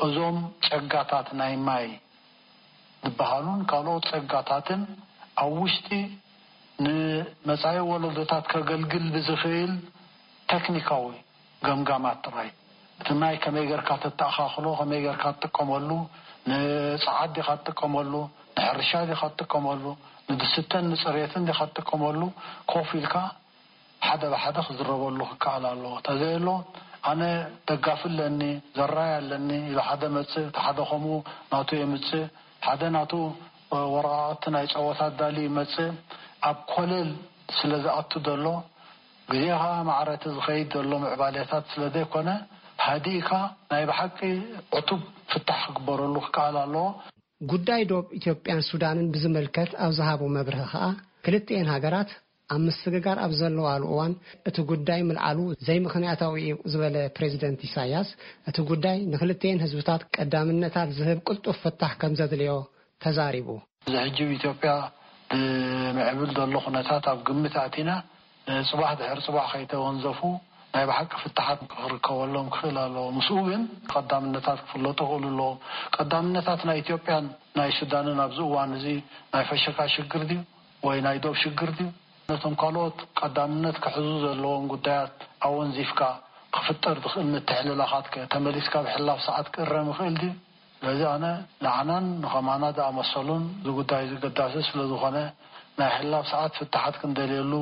እዞም ጸጋታት ናይ ማይ ዝበሃሉን ካልኦት ጸጋታትን ኣብ ውሽጢ ንመጻኢ ወለዶታት ከገልግል ብዝኽእል ቴክኒካዊ ገምጋማት ጥራይ፣ እቲ ማይ ከመይ ጌርካ ተተኣኻኽሎ፣ ከመይ ጌርካ ትጥቀመሉ፣ ንጸዓት ዲኻ ትጥቀመሉ፣ ንሕርሻ ዲኻ ትጥቀመሉ፣ ንድስተን ንጽሬትን ዲኻ ትጥቀመሉ፣ ኮፍ ኢልካ ሓደ ብሓደ ክዝረበሉ ክከኣል ኣለዎ። ተዘየሎ፣ ኣነ ደጋፊ ኣለኒ፣ ዘራይ ኣለኒ ኢሉ ሓደ መጽእ፣ እቲ ሓደ ከምኡ ናቱ የምጽእ፣ ሓደ ናቱ፣ እ፣ ወረቓቕቲ ናይ ጸወታ ኣዳልዩ ይመጽእ። ኣብ ኮለል ስለ ዝኣቱ ዘሎ፣ ግዜ ኸኣ ማዕረ እቲ ዝኸይድ ዘሎ ምዕባሌታት ስለ ዘይኮነ፣ ሃዲእካ ናይ ብሓቂ ዕቱብ ፍታሕ ክግበረሉ ክከኣል ኣለዎ። ጉዳይ ዶብ ኢትዮጵያን ሱዳንን ብዝምልከት ኣብ ዝሃቦ መብርሂ ኸኣ፣ ክልቲኤን ሃገራት ኣብ ምስግጋር ኣብ ዘለዋሉ እዋን እቲ ጉዳይ ምልዓሉ ዘይምኽንያታዊ እዩ ዝበለ ፕሬዚደንት ኢሳያስ፣ እቲ ጉዳይ ንክልቲኤን ህዝብታት ቀዳምነታት ዝህብ ቅልጡፍ ፍታሕ ከም ዘድልዮ ተዛሪቡ። እዚ ሕጂ ኣብ ኢትዮጵያ ብምዕብል ዘሎ ኩነታት ኣብ ግምት ኣእቲና፣ ንጽባሕ ድሕሪ ጽባሕ ከይተወንዘፉ ናይ ብሓቂ ፍታሓት ክርከበሎም ክኽእል ኣለዎ። ምስኡ ግን ቀዳምነታት ክፍለጡ ክኽእሉ ኣለዎም። ቀዳምነታት ናይ ኢትዮጵያን ናይ ሱዳንን ኣብዚ እዋን እዚ ናይ ፈሸካ ሽግር ድዩ ወይ ናይ ዶብ ሽግር ድዩ? ነቶም ካልኦት ቀዳምነት ክሕዙ ዘለዎም ጉዳያት ኣወንዚፍካ ክፍጠር ዝኽእል ምትሕልላኻት ከ ተመሊስካ ብሕላፍ ሰዓት ክእረም ይኽእል ድዩ? ስለዚ ኣነ ንዓናን ንኸማና ዝኣመሰሉን እዚ ጉዳይ እዚ ኣገዳሲ ስለ ዝኾነ ናይ ሕላፍ ሰዓት ፍታሓት ክንደልየሉ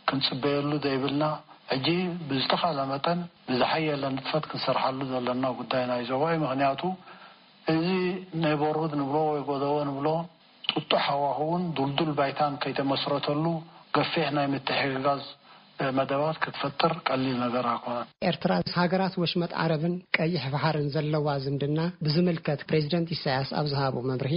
ክንጽበየሉ ዘይብልና፣ ሕጂ ብዝተኻእለ መጠን ብዝሓየለ ንጥፈት ክንሰርሓሉ ዘለና ጉዳይ ናይ ዞባ እዩ። ምኽንያቱ እዚ ኔበርሁድ ንብሎ ወይ ጎደቦ ንብሎ ጥጡሕ ሃዋህውን ዱልዱል ባይታን ከይተመስረተሉ ገፊሕ ናይ ምትሕግጋዝ መደባት ክትፈጥር ቀሊል ነገር ኣይኮነን። ኤርትራ ምስ ሃገራት ወሽመጥ ዓረብን ቀይሕ ባሕርን ዘለዋ ዝምድና ብዝምልከት ፕሬዚደንት ኢሳያስ ኣብ ዝሃቦ መብርሂ፣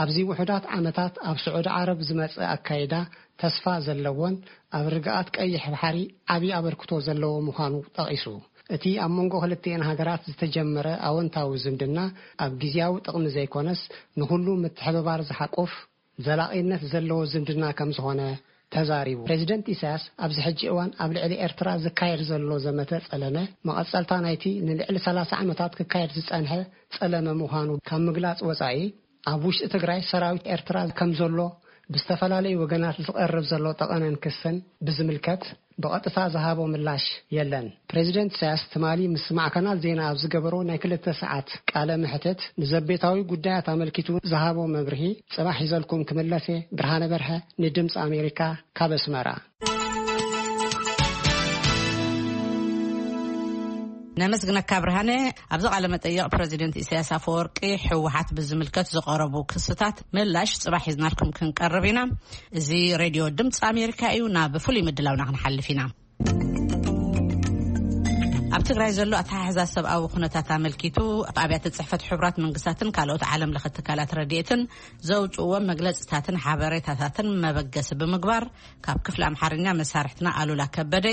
ኣብዚ ውሑዳት ዓመታት ኣብ ስዑዲ ዓረብ ዝመጸ ኣካይዳ ተስፋ ዘለዎን ኣብ ርግኣት ቀይሕ ባሕሪ ዓቢ ኣበርክቶ ዘለዎ ምዃኑ ጠቒሱ፣ እቲ ኣብ መንጎ ክልቲኤን ሃገራት ዝተጀመረ ኣወንታዊ ዝምድና ኣብ ግዝያዊ ጥቕሚ ዘይኮነስ ንኹሉ ምትሕብባር ዝሓቁፍ ዘላቒነት ዘለዎ ዝምድና ከም ዝኾነ ተዛሪቡ። ፕሬዚደንት ኢሳያስ ኣብዚ ሕጂ እዋን ኣብ ልዕሊ ኤርትራ ዝካየድ ዘሎ ዘመተ ጸለመ መቐጸልታ ናይቲ ንልዕሊ ሰላሳ ዓመታት ክካየድ ዝጸንሐ ጸለመ ምዃኑ ካብ ምግላጽ ወጻኢ፣ ኣብ ውሽጢ ትግራይ ሰራዊት ኤርትራ ከም ዘሎ ብዝተፈላለዩ ወገናት ዝቐርብ ዘሎ ጠቐነን ክስን ብዝምልከት ብቐጥታ ዝሃቦ ምላሽ የለን። ፕሬዚደንት ኢሳያስ ትማሊ ምስ ማዕከናት ዜና ኣብ ዝገበሮ ናይ ክልተ ሰዓት ቃለ መሕትት ንዘቤታዊ ጉዳያት ኣመልኪቱ ዝሃቦ መብርሂ ጽባሕ ሒዘልኩም ክምለስ እየ። ብርሃነ በርሀ ንድምፂ ኣሜሪካ ካብ ኣስመራ። ነመስግነካ ብርሃነ። ኣብዚ ቃለ መጠይቕ ፕረዚደንት ኢሳያስ ኣፈወርቂ ህወሓት ብዝምልከት ዝቐረቡ ክስታት ምላሽ ጽባሕ ሒዝናልኩም ክንቀርብ ኢና። እዚ ሬድዮ ድምፂ ኣሜሪካ እዩ። ናብ ፍሉይ ምድላውና ክንሓልፍ ኢና። ኣብ ትግራይ ዘሎ ኣተሓሕዛ ሰብኣዊ ኩነታት ኣመልኪቱ፣ ኣብያተ ጽሕፈት ሕቡራት መንግስታትን ካልኦት ዓለም ለኸ ትካላት ረድኤትን ዘውፅእዎም መግለፅታትን ሓበሬታታትን መበገሲ ብምግባር፣ ካብ ክፍሊ ኣምሓርኛ መሳርሕትና ኣሉላ ከበደ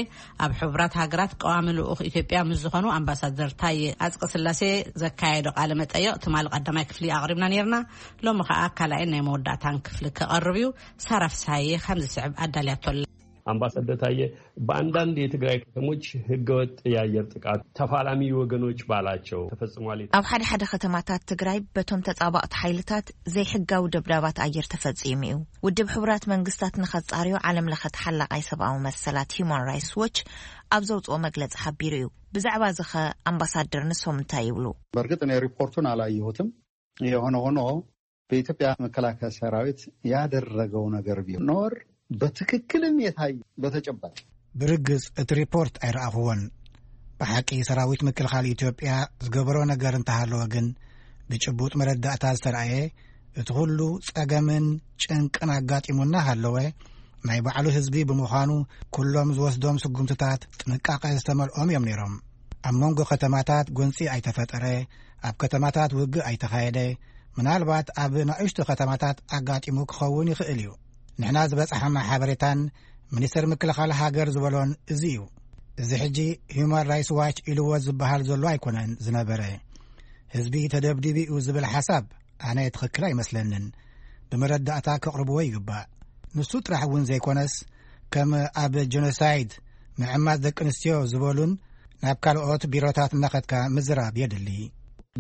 ኣብ ሕቡራት ሃገራት ቀዋሚ ልኡኽ ኢትዮጵያ ምስ ዝኾኑ ኣምባሳደር ታየ ኣጽቀ ስላሴ ዘካየዶ ቃለ መጠይቕ ትማሊ ቀዳማይ ክፍሊ ኣቕሪብና ነይርና። ሎሚ ኸኣ ካልኣይን ናይ መወዳእታን ክፍሊ ክቐርብ እዩ። ሳራ ፍስሃየ ከም ዝስዕብ ኣዳልያቶ ኣላ። ኣምባሳደር ታየ፣ በአንዳንድ የትግራይ ከተሞች ህገወጥ የአየር ጥቃት ተፋላሚ ወገኖች ባላቸው ተፈጽሟል። ኣብ ሓደ ሓደ ከተማታት ትግራይ በቶም ተጻባእቲ ሓይልታት ዘይሕጋዊ ደብዳባት ኣየር ተፈጺሙ እዩ። ውድብ ሕቡራት መንግስታት ንኸጻርዮ ዓለም ለኸ ተሓላቓይ ሰብኣዊ መሰላት ሂዩማን ራይትስ ዎች ኣብ ዘውጽኦ መግለጺ ሓቢሩ እዩ። ብዛዕባ እዚ ኸ ኣምባሳደር ንሶም እንታይ ይብሉ? በእርግጥ እኔ ሪፖርቱን አላየሁትም። የሆነ ሆኖ በኢትዮጵያ መከላከያ ሰራዊት ያደረገው ነገር ቢኖር በትክክልም የታየ በተጨባጭ። ብርግጽ እቲ ሪፖርት ኣይረኣኹዎን። ብሓቂ ሰራዊት ምክልኻል ኢትዮጵያ ዝገበሮ ነገር እንተሃለወ ግን፣ ብጭቡጥ መረዳእታ ዝተረኣየ፣ እቲ ኩሉ ጸገምን ጭንቅን ኣጋጢሙና ሃለወ፣ ናይ ባዕሉ ህዝቢ ብምዃኑ፣ ኩሎም ዝወስዶም ስጉምትታት ጥንቃቐ ዝተመልኦም እዮም ነይሮም። ኣብ መንጎ ከተማታት ጎንጺ ኣይተፈጠረ፣ ኣብ ከተማታት ውግእ ኣይተኻየደ። ምናልባት ኣብ ንኣሽቱ ከተማታት ኣጋጢሙ ክኸውን ይኽእል እዩ። ንሕና ዝበጽሓና ሓበሬታን ሚኒስተር ምክልኻል ሃገር ዝበሎን እዚ እዩ። እዚ ሕጂ ሂዩማን ራይትስ ዋች ኢልዎ ዝበሃል ዘሎ ኣይኮነን ዝነበረ። ህዝቢ ተደብዲቡ እዩ ዝብል ሓሳብ ኣነ ትኽክል ኣይመስለንን። ብመረዳእታ ከቕርብዎ ይግባእ። ንሱ ጥራሕ እውን ዘይኮነስ፣ ከም ኣብ ጀኖሳይድ፣ ምዕማጽ ደቂ ኣንስትዮ ዝበሉን ናብ ካልኦት ቢሮታት እናኸድካ ምዝራብ የድሊ።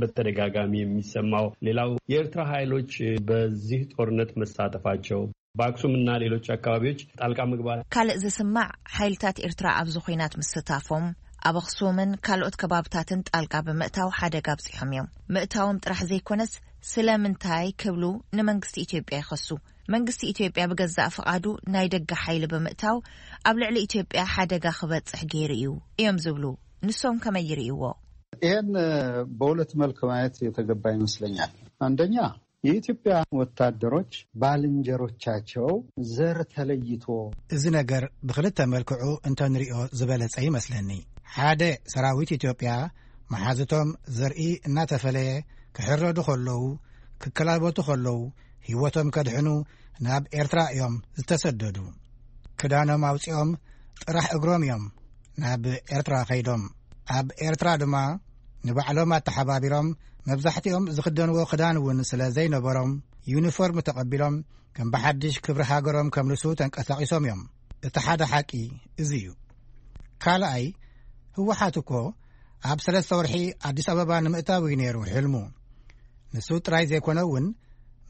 በተደጋጋሚ የሚሰማው ሌላው የኤርትራ ኃይሎች በዚህ ጦርነት መሳተፋቸው፣ በአክሱምና ሌሎች አካባቢዎች ጣልቃ መግባት። ካልእ ዝስማዕ፣ ሓይልታት ኤርትራ ኣብዚ ኹናት ምስታፎም፣ ኣብ ኣኽሱምን ካልኦት ከባብታትን ጣልቃ ብምእታው ሓደጋ ኣብጺሖም እዮም። ምእታዎም ጥራሕ ዘይኮነስ፣ ስለምንታይ ክብሉ ንመንግስቲ ኢትዮጵያ ይኸሱ። መንግስቲ ኢትዮጵያ ብገዛእ ፍቓዱ ናይ ደገ ሓይሊ ብምእታው፣ ኣብ ልዕሊ ኢትዮጵያ ሓደጋ ክበጽሕ ገይሩ እዩ እዮም ዝብሉ። ንሶም ከመይ ይርእይዎ? ይህን በሁለት መልክ ማየት የተገባ ይመስለኛል። አንደኛ፣ የኢትዮጵያ ወታደሮች ባልንጀሮቻቸው ዘር ተለይቶ። እዚ ነገር ብኽልተ መልክዑ እንተንሪኦ ዝበለጸ ይመስለኒ። ሓደ፣ ሰራዊት ኢትዮጵያ መሓዝቶም ዘርኢ እናተፈለየ ክሕረዱ ከለዉ፣ ክከላበቱ ከለዉ፣ ህይወቶም ከድሕኑ ናብ ኤርትራ እዮም ዝተሰደዱ። ክዳኖም ኣውጺኦም ጥራሕ እግሮም እዮም ናብ ኤርትራ ከይዶም። ኣብ ኤርትራ ድማ ንባዕሎም ኣተሓባቢሮም፣ መብዛሕትኦም ዝኽደንዎ ክዳን እውን ስለ ዘይነበሮም፣ ዩኒፎርም ተቐቢሎም፣ ከም ብሓድሽ ክብሪ ሃገሮም ከምልሱ ተንቀሳቒሶም እዮም። እቲ ሓደ ሓቂ እዚ እዩ። ካልኣይ፣ ህወሓት እኮ ኣብ ሰለስተ ወርሒ ኣዲስ ኣበባ ንምእታው እዩ ነይሩ ሕልሙ። ንሱ ጥራይ ዘይኮነ እውን፣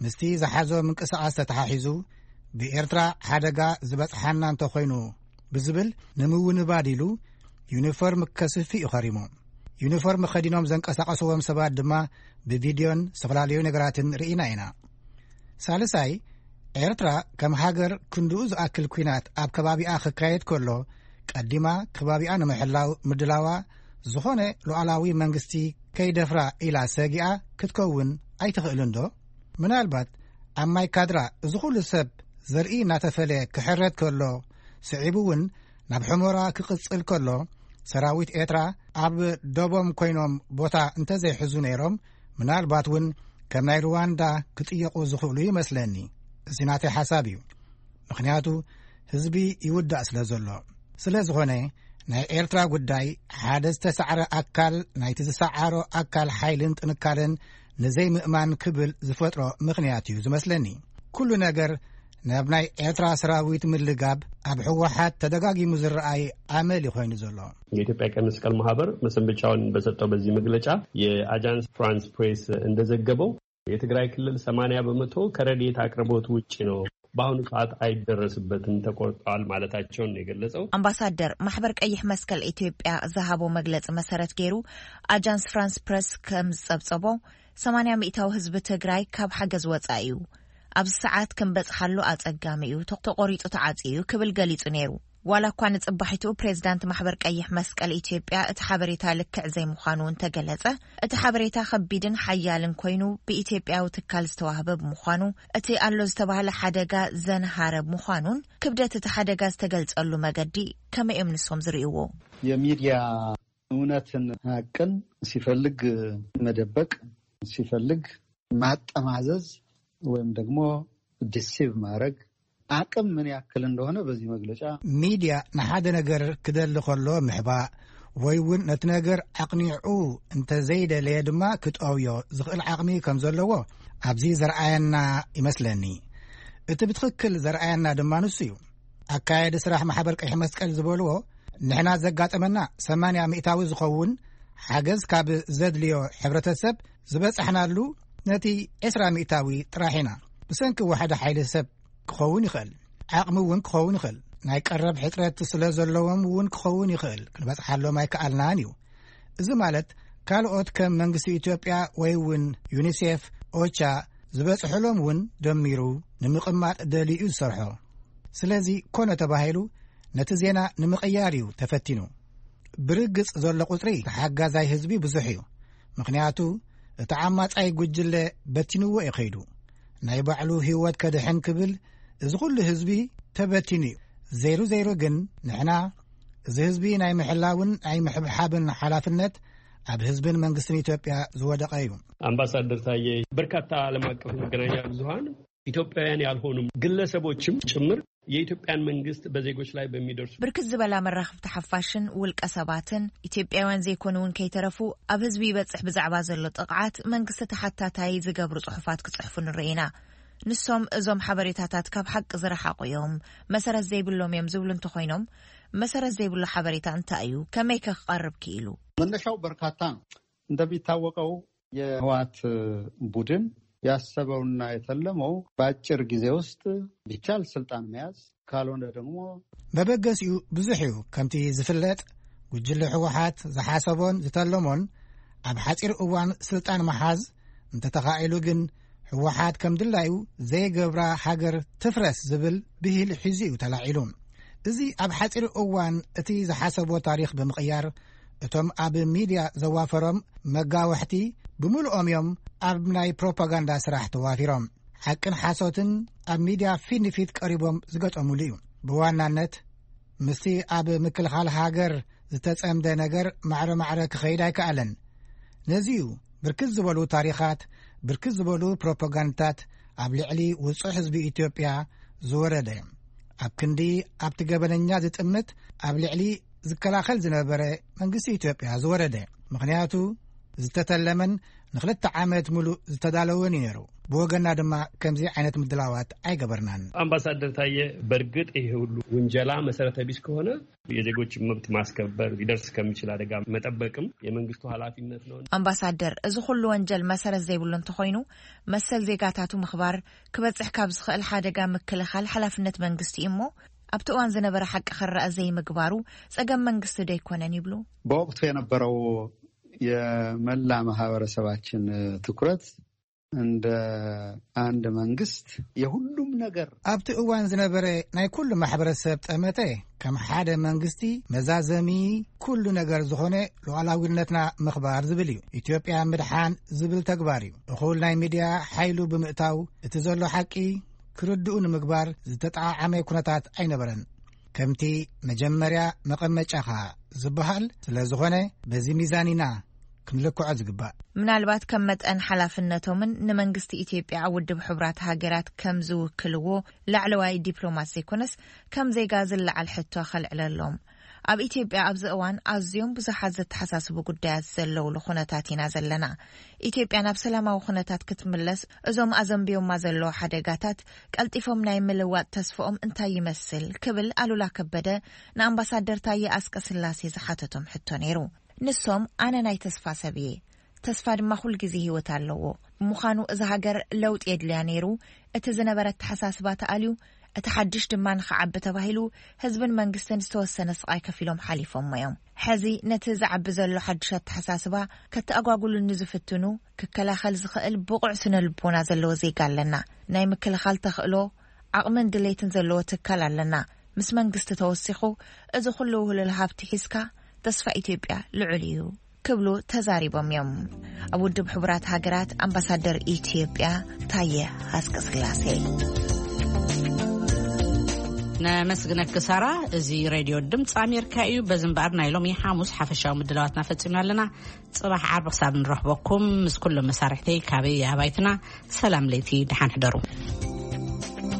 ምስቲ ዝሓዞ ምንቅስቓስ ተተሓሒዙ፣ ብኤርትራ ሓደጋ ዝበጽሓና እንተኾይኑ ብዝብል ንምውንባድ ኢሉ፣ ዩኒፎርም ከስፊ እዩ ኸሪሙ። ዩኒፎርም ኸዲኖም ዘንቀሳቐስዎም ሰባት ድማ ብቪድዮን ዝተፈላለዩ ነገራትን ርኢና ኢና። ሳልሳይ፣ ኤርትራ ከም ሃገር ክንድኡ ዝኣክል ኲናት ኣብ ከባቢኣ ክካየድ ከሎ፣ ቀዲማ ከባቢኣ ንምሕላው ምድላዋ፣ ዝኾነ ሉዓላዊ መንግስቲ ከይደፍራ ኢላ ሰጊኣ ክትከውን ኣይትኽእልን ዶ? ምናልባት ኣብ ማይ ካድራ እዚ ኩሉ ሰብ ዘርኢ እናተፈለየ ክሕረድ ከሎ፣ ስዒቡ እውን ናብ ሑመራ ክቕጽል ከሎ፣ ሰራዊት ኤርትራ ኣብ ደቦም ኮይኖም ቦታ እንተዘይሕዙ ነይሮም፣ ምናልባት እውን ከም ናይ ሩዋንዳ ክጥየቑ ዝኽእሉ ይመስለኒ። እዚ ናተይ ሓሳብ እዩ። ምኽንያቱ ህዝቢ ይውዳእ ስለ ዘሎ። ስለ ዝኾነ ናይ ኤርትራ ጉዳይ ሓደ ዝተሳዕረ ኣካል ናይቲ ዝሰዓሮ ኣካል ሓይልን ጥንካረን ንዘይምእማን ክብል ዝፈጥሮ ምኽንያት እዩ ዝመስለኒ። ኩሉ ነገር ናብ ናይ ኤርትራ ሰራዊት ምልጋብ ኣብ ህወሓት ተደጋጊሙ ዝረኣይ ኣመል እዩ ኮይኑ ዘሎ። የኢትዮጵያ ቀይ መስቀል ማህበር መሰንበቻውን በሰጠው በዚህ መግለጫ፣ የአጃንስ ፍራንስ ፕሬስ እንደዘገበው፣ የትግራይ ክልል ሰማንያ በመቶ ከረድኤት አቅርቦት ውጭ ነው፣ በአሁኑ ሰዓት አይደረስበትም፣ ተቆርጠዋል ማለታቸውን ነው የገለጸው። ኣምባሳደር፣ ማሕበር ቀይሕ መስቀል ኢትዮጵያ ዝሃቦ መግለጺ መሰረት ገይሩ፣ ኣጃንስ ፍራንስ ፕረስ ከም ዝጸብጸቦ፣ ሰማንያ ሚእታዊ ህዝቢ ትግራይ ካብ ሓገዝ ወጻኢ እዩ። ኣብዚ ሰዓት ክንበጽሓሉ ኣጸጋሚ እዩ፣ ተቆሪጹ ተዓጽዩ እዩ ክብል ገሊጹ ነይሩ። ዋላ እኳ ንጽባሒቱ ፕሬዝዳንት ማሕበር ቀይሕ መስቀል ኢትዮጵያ እቲ ሓበሬታ ልክዕ ዘይምዃኑ እንተገለጸ፣ እቲ ሓበሬታ ከቢድን ሓያልን ኮይኑ ብኢትዮጵያዊ ትካል ዝተዋህበ ብምዃኑ፣ እቲ ኣሎ ዝተባህለ ሓደጋ ዘንሃረ ምዃኑን ክብደት እቲ ሓደጋ ዝተገልጸሉ መገዲ ከመይ እዮም ንሶም ዝርእይዎ? የሚዲያ እውነትን ሀቅን ሲፈልግ መደበቅ፣ ሲፈልግ ማጠማዘዝ ወይም ደግሞ ዲሲቭ ማድረግ አቅም ምን ያክል እንደሆነ በዚህ መግለጫ ሚዲያ ንሓደ ነገር ክደሊ ከሎ ምሕባእ ወይ እውን ነቲ ነገር ኣቕኒዑ እንተዘይደለየ ድማ ክጠውዮ ዝኽእል ዓቕሚ ከም ዘለዎ ኣብዚ ዘርኣየና ይመስለኒ። እቲ ብትኽክል ዘርኣየና ድማ ንሱ እዩ። ኣካየዲ ስራሕ ማሕበር ቀይሕ መስቀል ዝበልዎ ንሕና ዘጋጠመና ሰማንያ ሚእታዊ ዝኸውን ሓገዝ ካብ ዘድልዮ ሕብረተሰብ ዝበጻሕናሉ ነቲ ዕስራ ሚእታዊ ጥራሕ ኢና። ብሰንኪ ዋሕዲ ሓይሊ ሰብ ክኸውን ይኽእል፣ ዓቕሚ እውን ክኸውን ይኽእል፣ ናይ ቀረብ ሕጽረት ስለ ዘለዎም እውን ክኸውን ይኽእል፣ ክንበጽሓሎም ኣይከኣልናን እዩ። እዚ ማለት ካልኦት ከም መንግስቲ ኢትዮጵያ ወይ እውን ዩኒሴፍ፣ ኦቻ ዝበጽሕሎም እውን ደሚሩ ንምቕማጥ ደልዩ እዩ ዝሰርሖ። ስለዚ ኮነ ተባሂሉ ነቲ ዜና ንምቕያር እዩ ተፈቲኑ። ብርግጽ ዘሎ ቁጽሪ ተሓጋዛይ ህዝቢ ብዙሕ እዩ። ምኽንያቱ እቲ ዓማጻይ ጉጅለ በቲንዎ እዩ ከይዱ። ናይ ባዕሉ ህይወት ከድሕን ክብል እዚ ኩሉ ህዝቢ ተበቲኑ እዩ። ዘይሩ ዘይሩ ግን ንሕና እዚ ህዝቢ ናይ ምሕላውን ናይ ምሕብሓብን ሓላፍነት ኣብ ህዝብን መንግስትን ኢትዮጵያ ዝወደቐ እዩ። ኣምባሳደር ታየ፣ በርካታ ዓለም ኣቀፍ መገናኛ ብዙሃን ኢትዮጵያውያን ያልሆኑም ግለሰቦችም ጭምር የኢትዮጵያን መንግስት በዜጎች ላይ በሚደርሱ ብርክት ዝበላ መራኽብቲ ሓፋሽን ውልቀ ሰባትን ኢትዮጵያውያን ዘይኮኑ እውን ከይተረፉ ኣብ ህዝቢ ይበጽሕ ብዛዕባ ዘሎ ጥቕዓት መንግስቲ ተሓታታይ ዝገብሩ ጽሑፋት ክጽሕፉ ንርኢ ኢና። ንሶም እዞም ሓበሬታታት ካብ ሓቂ ዝረሓቑ እዮም፣ መሰረት ዘይብሎም እዮም ዝብሉ እንተኾይኖም፣ መሰረት ዘይብሉ ሓበሬታ እንታይ እዩ? ከመይ ከ ክቐርብ ክኢሉ? መነሻው በርካታ ነው። እንደሚታወቀው የህወሓት ቡድን ያሰበውና የተለመው በአጭር ጊዜ ውስጥ ቢቻል ስልጣን መያዝ ካልሆነ ደግሞ መበገሲኡ ብዙሕ እዩ። ከምቲ ዝፍለጥ ጉጅለ ህወሓት ዝሓሰቦን ዝተለሞን ኣብ ሓፂር እዋን ስልጣን መሓዝ፣ እንተተኻኢሉ ግን ህወሓት ከም ድላዩ ዘይገብራ ሃገር ትፍረስ ዝብል ብሂል ሒዙ እዩ ተላዒሉ። እዚ ኣብ ሓፂር እዋን እቲ ዝሓሰቦ ታሪኽ ብምቕያር እቶም ኣብ ሚድያ ዘዋፈሮም መጋወሕቲ ብምልኦም እዮም ኣብ ናይ ፕሮፓጋንዳ ስራሕ ተዋፊሮም። ሓቅን ሓሶትን ኣብ ሚድያ ፊት ንፊት ቀሪቦም ዝገጠሙሉ እዩ። ብዋናነት ምስቲ ኣብ ምክልኻል ሃገር ዝተጸምደ ነገር ማዕረ ማዕረ ክኸይድ ኣይከኣለን። ነዚ እዩ ብርክት ዝበሉ ታሪኻት፣ ብርክት ዝበሉ ፕሮፓጋንዳታት ኣብ ልዕሊ ውጹዕ ህዝቢ ኢትዮጵያ ዝወረደ። ኣብ ክንዲ ኣብቲ ገበነኛ ዝጥምት ኣብ ልዕሊ ዝከላኸል ዝነበረ መንግስቲ ኢትዮጵያ ዝወረደ። ምኽንያቱ ዝተተለመን ንክልተ ዓመት ሙሉእ ዝተዳለወን እዩ ነይሩ። ብወገና ድማ ከምዚ ዓይነት ምድላዋት ኣይገበርናን። ኣምባሳደር ታየ፣ በእርግጥ ይሄ ሁሉ ውንጀላ መሰረተ ቢስ ከሆነ የዜጎችን መብት ማስከበር፣ ሊደርስ ከሚችል አደጋ መጠበቅም የመንግስቱ ኃላፊነት ነው። ኣምባሳደር፣ እዚ ኩሉ ወንጀል መሰረት ዘይብሉ እንተኾይኑ፣ መሰል ዜጋታቱ ምኽባር፣ ክበጽሕ ካብ ዝኽእል ሓደጋ ምክልኻል ሓላፍነት መንግስቲ እዩ እሞ፣ ኣብቲ እዋን ዝነበረ ሓቂ ክረኣ ዘይምግባሩ ጸገም መንግስቲ ዶ ኣይኮነን ይብሉ? በወቅቱ የነበረው የመላ ማህበረሰባችን ትኩረት እንደ አንድ መንግስት የሁሉም ነገር ኣብቲ እዋን ዝነበረ ናይ ኩሉ ማሕበረሰብ ጠመተ ከም ሓደ መንግስቲ መዛዘሚ ኩሉ ነገር ዝኾነ ሉዓላዊነትና ምኽባር ዝብል እዩ። ኢትዮጵያ ምድሓን ዝብል ተግባር እዩ። እኹል ናይ ሚድያ ሓይሉ ብምእታው እቲ ዘሎ ሓቂ ክርድኡ ንምግባር ዝተጠዓዓመ ኩነታት ኣይነበረን። ከምቲ መጀመርያ መቐመጫኻ ዝበሃል ስለ ዝኾነ በዚ ሚዛን ኢና ክንልክዖ ዝግባእ። ምናልባት ከም መጠን ሓላፍነቶምን ንመንግስቲ ኢትዮጵያ ኣብ ውድብ ሕቡራት ሃገራት ከም ዝውክልዎ ላዕለዋይ ዲፕሎማት ዘይኮነስ ከም ዜጋ ዝለዓል ሕቶ ከልዕለሎም። ኣብ ኢትዮጵያ ኣብዚ እዋን ኣዝዮም ብዙሓት ዘተሓሳስቡ ጉዳያት ዘለውሉ ኩነታት ኢና ዘለና። ኢትዮጵያ ናብ ሰላማዊ ኩነታት ክትምለስ እዞም ኣዘንብዮማ ዘለዉ ሓደጋታት ቀልጢፎም ናይ ምልዋጥ ተስፍኦም እንታይ ይመስል ክብል ኣሉላ ከበደ ንኣምባሳደር ታየ ኣስቀስላሴ ዝሓተቶም ሕቶ ነይሩ። ንሶም ኣነ ናይ ተስፋ ሰብ እየ፣ ተስፋ ድማ ኩል ግዜ ህይወት ኣለዎ። ብምዃኑ እዛ ሃገር ለውጢ የድልያ ነይሩ፣ እቲ ዝነበረ ኣተሓሳስባ ተኣልዩ፣ እቲ ሓድሽ ድማ ንኽዓቢ ተባሂሉ ህዝብን መንግስትን ዝተወሰነ ስቓይ ከፊሎም ሓሊፎሞ እዮም። ሕዚ ነቲ ዝዓቢ ዘሎ ሓድሽ ኣተሓሳስባ ከተኣጓጉሉ ንዝፍትኑ ክከላኸል ዝኽእል ብቑዕ ስነ ልቦና ዘለዎ ዜጋ ኣለና። ናይ ምክልኻል ተኽእሎ፣ ዓቕምን ድሌትን ዘለዎ ትካል ኣለና። ምስ መንግስቲ ተወሲኹ፣ እዚ ኩሉ ውህሉል ሃብቲ ሒዝካ፣ ተስፋ ኢትዮጵያ ልዑል እዩ ክብሉ ተዛሪቦም እዮም። ኣብ ውድብ ሕቡራት ሃገራት ኣምባሳደር ኢትዮጵያ ታየ ሃስቀስላሴ። ነመስግነኪ ሳራ። እዚ ሬድዮ ድምፂ ኣሜሪካ እዩ። በዚ እምበኣር ናይ ሎሚ ሓሙስ ሓፈሻዊ ምድላዋትና ፈፂምና ኣለና። ፅባሕ ዓርቢ ክሳብ ንረኽበኩም፣ ምስ ኩሎም መሳርሕተይ ካበይ ኣባይትና፣ ሰላም ለይቲ፣ ደሓን ሕደሩ።